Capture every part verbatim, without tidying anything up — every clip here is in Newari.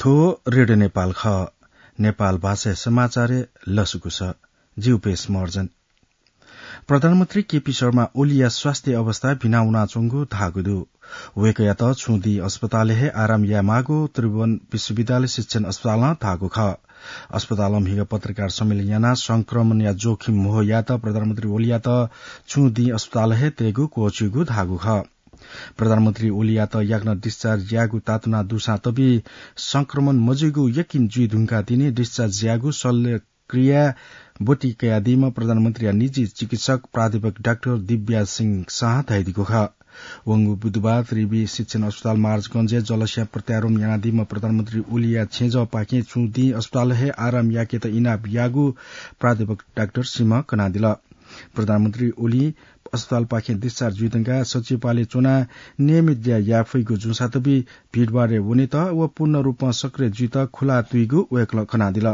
थ्व रेडियो नेपाल खः। नेपाल भाषाया समाचारय् लसकुस। जि उपेश महर्जन। प्रधानमन्त्री केपी शर्मा ओलीया स्वास्थ्य अवस्था भिना वनाच्वंगु धाःगु दु। वय्कःयात छुं दिं अस्पतालय् हे आराम यायेमाःगु त्रिभुवन विश्वविद्यालय शिक्षण अस्पतालं धाःगु खः। अस्पतालं म्हिगः पत्रकार सम्मेलन यानाः संक्रमणया जोखिम म्हो यायेत प्रधानमन्त्री ओलीयात छुं दिं अस्पतालय् हे तयेगु क्वःछिउगु धाःगु खः। प्रधानमन्त्री ओलीयात याकनं discharge यायेगु तातुना दुसां तबि संक्रमण मजुइगु यकिन जुइ धुंकाः तिनि discharge यायेगु शल्यक्रिया ब्वति कयादीम्ह प्रधानमन्त्रीया निजी चिकित्सक प्राध्यापक डाक्टर दिव्या सिंह शाह धयादीगु खः। वंगु बुधबार त्रिवि शिक्षण अस्पताल महाराजगंजय् जलस्या प्रत्यारोपण यानादीम्ह प्रधानमन्त्री ओलीया छेँजःपाखें छुं दिं अस्पताल हे आराम याकेत इनाप याःगु प्राध्यापक डाक्टर सिंहं कनादिल। प्रधानमन्त्री ओली अस्पतालपाखें discharge जुइधुंकाः सचिवालय च्वनाः नियमित ज्या याये फइगु जूसां तबि भिडभाडय् वनेत व पूर्ण रूपं सक्रिय जुइत खुला तुइगु वय्कलं कनादिल।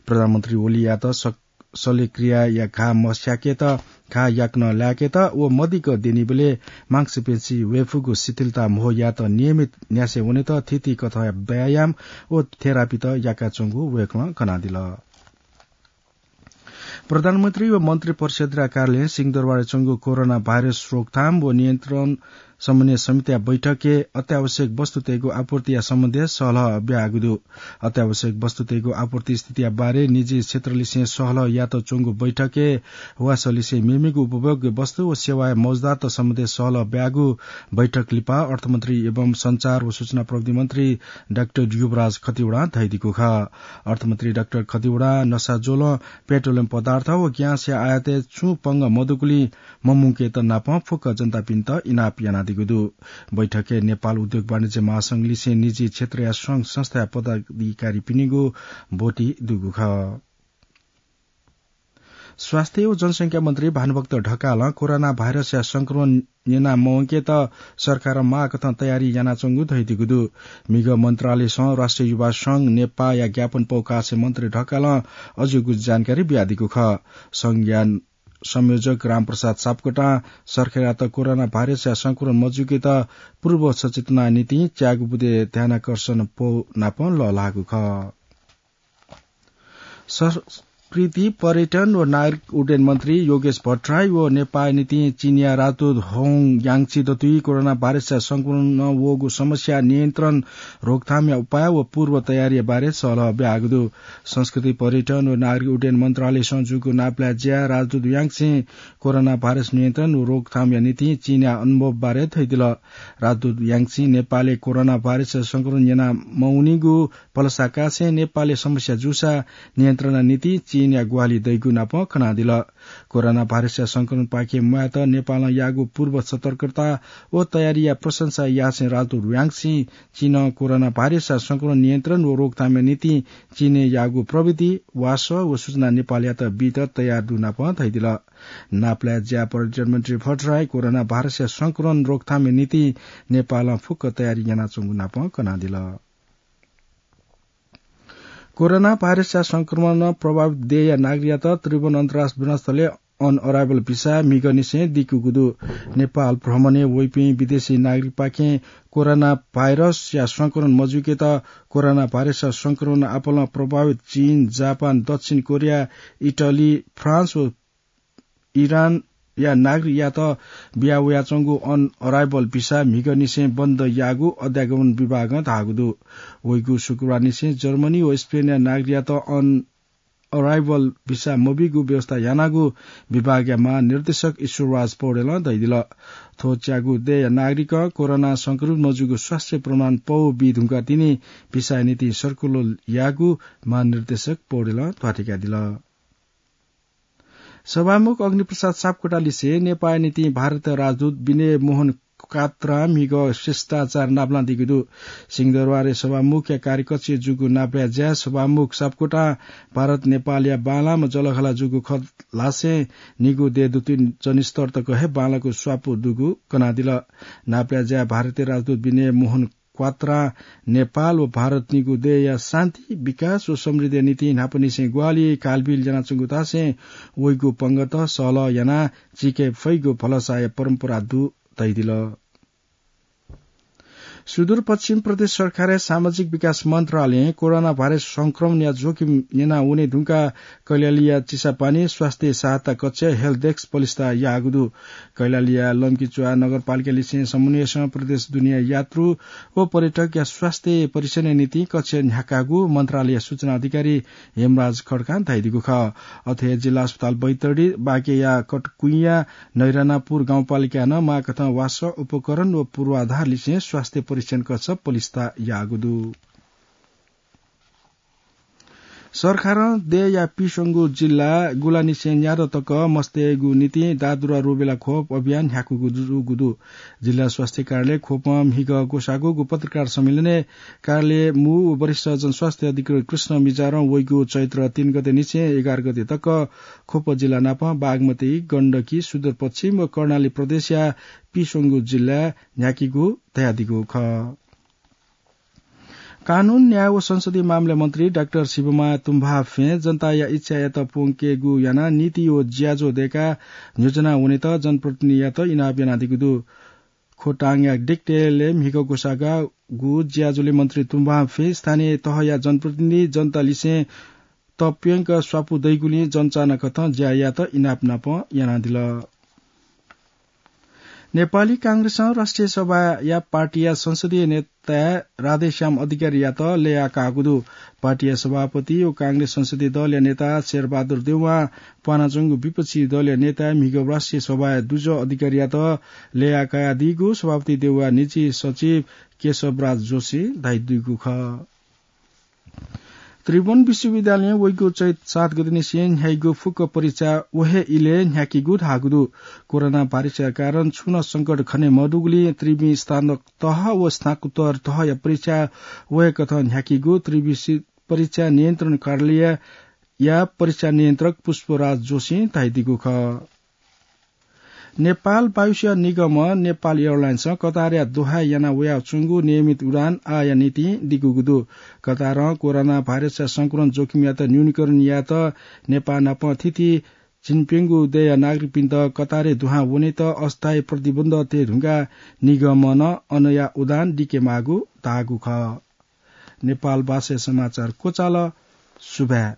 प्रधानमन्त्री ओलीयात सक-, शल्यक्रियाया घाः मस्याकेत, घाः याकनं लाय्केत व मदिक्क द्यनीबलय् मांसपेशी वय्फुगु शिथिलता म्हो यायेत नियमित न्यासय् वनेत थीथी कथंया व्यायाम व थेरापीत याकाच्वंगु वय्कलं कनादिल। प्रधानमन्त्री व मन्त्री परिषदया कार्यालयं सिंहदरबारय् च्वंगु कोरोना भाइरस रोकथाम व नियन्त्रण समन्वय समितिया बैठकय् अत्यावश्यक वस्तुतय्गु आपूर्तिया सम्बन्धय् सहलह ब्याःगु दु। अत्यावश्यक वस्तुतय्गु आपूर्ति स्थितिया बारे निजी क्षेत्रलिसें सहलह यात च्वंगु बैठकय् वासःलिसें मेमेगु उपभोग्य वस्तु व सेवाया मौजुदात सम्बन्धय् सहलह ब्याःगु बैठक लिपा अर्थमन्त्री एवं सञ्चार व सूचना प्रविधि मन्त्री डाक्टर युवराज खतिवडां धयादीगु खः। अर्थमन्त्री डाक्टर खतिवडां नसाज्वलं पेट्रोलियम पदार्थ व ग्याँसया आयातय् छुं पंगः मदुगुलिं ममुंकेत नापं फुक्क जनतापिन्त इनाप यानादीगु दु। बैठकय् नेपाल उद्योग वाणिज्य महासंघलिसें निजी क्षेत्रया संघ संस्थाया पदाधिकारीपिनिगु ब्वति दुगु खः। स्वास्थ्य व जनसंख्या मन्त्री भानुभक्त ढकालं कोरोना भाइरसया संक्रमण न्यना मवंकेत सरकारं माःकथं तयारी यानाच्वंगु धयादीगु दु। म्हिगः मन्त्रालयसं राष्ट्रिय युवा संघ नेपाःया ज्ञापन पौकासे मन्त्री ढकालं अज्याःगु जानकारी बियादीगु खः। संघया संयोजक रामप्रसाद सापकोटां सरकारयात कोरोना भाइरसया संक्रमण मजुइकेत पूर्व सचेतना निंतिं च्यागू बुँदे ध्यानाकर्षण पौ नापं लःल्हाःगु खः। संस्कृति, पर्यटन व नागरिक उड्डयन मन्त्री योगेश भट्टराई व नेपाःया निंतिं चीनया राजदूत होङ याङ्ची दथुइ कोरोना भाइरसया संक्रमणं वःगु समस्या नियन्त्रण, रोकथामया उपाय व पूर्व तयारीया बारे सहलह ब्याःगु दु। संस्कृति, पर्यटन व नागरिक उड्डयन मन्त्रालयसं जूगु नापलाये ज्याय् राजदूत याङ्चीं कोरोना भाइरस नियन्त्रण व रोकथामया निंतिं चीनया अनुभव बारे धयादिल। राजदूत याङ्चीं नेपालय् कोरोना भाइरसया संक्रमण न्यना मवनीगु भलसाकासे नेपालय् समस्या जूसा नियन्त्रणया निंतिं चीनया ग्वाहालि दइगु नापं कनादिल। कोरोना भाइरसया संक्रमणपाखें म्वायेत नेपालं याःगु पूर्व सतर्कता व तयारीया प्रशंसा यासें राजदूत याङ्चीं चीनं कोरोना भाइरसया संक्रमण नियन्त्रण व रोकथामया निंतिं चीनय् याःगु प्रविधि, वासः व सूचना नेपालयात बीत तयार दु नापं धयादिल। नापलाये ज्याय् पर्यटन मन्त्री भट्टराई कोरोना भाइरसया संक्रमण रोकथामया निंतिं नेपालं फुक्क तयारी यानाच्वंगु नापं कनादिल। कोरोना भाइरसया संक्रमणं प्रभावित देय्‌या नागरिकयात त्रिभुवन अन्तर्राष्ट्रिय विमानस्थलय् on arrival भिसा म्हिगःनिसें दिकूगु दु। नेपाल भ्रमणय् वइपिं विदेशी नागरिकपाखें कोरोना भाइरसया संक्रमण मजुइकेत कोरोना भाइरसया संक्रमणं आपालं प्रभावित चीन, जापान, दक्षिण कोरिया, इटली, फ्रान्स व इरानया नागरिकयात बिया वयाच्वंगु on arrival भिसा म्हिगःनिसें बन्द याःगु अध्यागमन विभागं धाःगु दु। वइगु शुक्रबारनिसें जर्मनी व स्पेनया नागरिकयात on arrival भिसा मबीगु व्यवस्था यानागु विभागया महानिर्देशक ईश्वरराज पौडेलं धयादिल। थ्व च्यागू देय्‌या नागरिकं कोरोना संक्रमित मजूगु स्वास्थ्य प्रमाण पौ बी धुंकाः तिनि भिसाया निंतिं सर्कुलर याःगु महानिर्देशक पौडेलं ध्वाथय्‌कादिल। सभामुख अग्निप्रसाद सापकोटालिसे नेपाःया निंतिं भारतया राजदूत विनय मोहन क्वात्रां म्हिगः शिष्टाचार नापलानादीगु दु। सिंहदरबारय् सभामुखया कार्यकक्षय् जूगु नापलाये ज्याय् सभामुख सापकोटां भारत नेपालया बांलाःम्ह जःलाखःला जूगु खँ ल्हासें निगू देय् दुथुइ जनस्तर तक हे बांलाःगु स्वापू दुगु कनादिल। नापलाये ज्याय् भारतीय राजदूत विनय मोहन क्वात्रां नेपाल व भारत निगू देय्‌या शान्ति, विकास व समृद्धिया निंतिं न्हापांनिसें ग्वाहालि कालबिल यानाच्वंगु धासें वइगु पंगत सहलह यानाः चीके फइगु भलसाया परम्परा दु धयादिल। सुदूरपश्चिम प्रदेश सरकारया सामाजिक विकास मन्त्रालयं कोरोना भाइरस संक्रमणया जोखिम न्यना वने धुंकाः कैलालीया चिसापानी स्वास्थ्य सहायता कक्ष हेल्प डेस्क पलिस्था याःगु दु। कैलालीया लम्कीचुवा नगरपालिकालिसें समन्वयसं प्रदेश दुनेया यात्रु व पर्यटकया स्वास्थ्य परीक्षणया निंतिं कक्ष न्ह्याकाःगु मन्त्रालयया सूचना अधिकारी हेमराज खड्कां धयादीगु खः। अथे हे जिल्ला अस्पताल बैतडी, बाँकेया कटकुइँया नैरानापुर गाउँपालिकां नं माःकथं वासः, उपकरण व पूर्वाधारलिसें स्वास्थ्य परीक्षण कक्ष पलिस्था याःगु दु। सरकारं देय्‌या पिस्वंगू जिल्ला गुलांनिसें न्यादँ तक मस्तय्‌गु निंतिं दादुरा रुबेला खोप अभियान न्ह्याकूगु जूगु दु। जिल्ला स्वास्थ्य कार्यालय ख्वपं म्हिगः ग्वसाःगु पत्रकार सम्मेलनय् कार्यालय मू व वरिष्ठ जनस्वास्थ्य अधिकृत कृष्ण मिजारं वइगु चैत्र तीन गते निसें एघार गते तक ख्वप जिल्ला नाप बागमती, गण्डकी, सुदूरपश्चिम व कर्णाली प्रदेशया पिस्वंगू जिल्ला न्ह्याकीगु धयादीगु खः। कानून, न्याय व संसदीय मामला मन्त्री डाक्टर शिवमाया तुम्बाफें जनताया इच्छायात प्वंकेगु यानाः नीति व ज्याझ्वः दय्‌काः न्ह्यज्वना वनेत जनप्रतिनिधियात इनाप यानादीगु दु। खोटाङया डिकटेलय् म्हिगः ग्वसाःगु ज्याझ्वलय् मन्त्री तुम्बाफें स्थानीय तहया जनप्रतिनिधि जनतालिसें तप्यंक स्वापू दइगुलिं जनचाना कथं ज्या यायेत इनाप नाप यानादिल। नेपाली कांग्रेसं राष्ट्रिय सभाया पार्टीया संसदीय नेता राधेश्याम अधिकारीयात लय्‌याकाःगु दु। पार्टीया सभापति व कांग्रेस संसदीय दलया नेता शेरबहादुर देउवां प्वानाच्वंगु विपक्षी दलया नेता म्हिगः राष्ट्रिय सभाया दुजः अधिकारीयात लय्‌याकादीगु सभापति देउवाया निजी सचिव केशवराज जोशीं धयादीगु खः। त्रिभुवन विश्वविद्यालयं वइगु चैत सात गते निसें न्ह्याइगु फुक्क परीक्षा व हे इलय् न्ह्याकीगु धाःगु दु। कोरोना भाइरसया कारण छुं नं संकट खने मदुगुलिं त्रिवि स्नातक तह व स्नातकोत्तर तहया परीक्षा व हे कथं न्ह्याकीगु त्रिवि सि-, परीक्षा नियन्त्रण कार्यालयया परीक्षा नियन्त्रक पुष्पराज जोशीं धयादीगु खः। नेपाल वायुसेवा निगमं नेपाल एयरलाइन्सं कतारया दोहाय् याना वयाच्वंगु नियमित उडान आःया निंतिं दिकूगु दु। कतारं कोरोना भाइरसया संक्रमण जोखिमयात न्यूनीकरण यायेत नेपाः नाप थीथी झिंप्यंगू देय्‌या नागरिकपिन्त कतारय् दुहां वनेत अस्थायी प्रतिबन्ध तये धुंकाः निगमं अनया उडान दिके माःगु धाःगु खः। नेपाल भाषाय् समाचार क्वचाल। सुभाय्।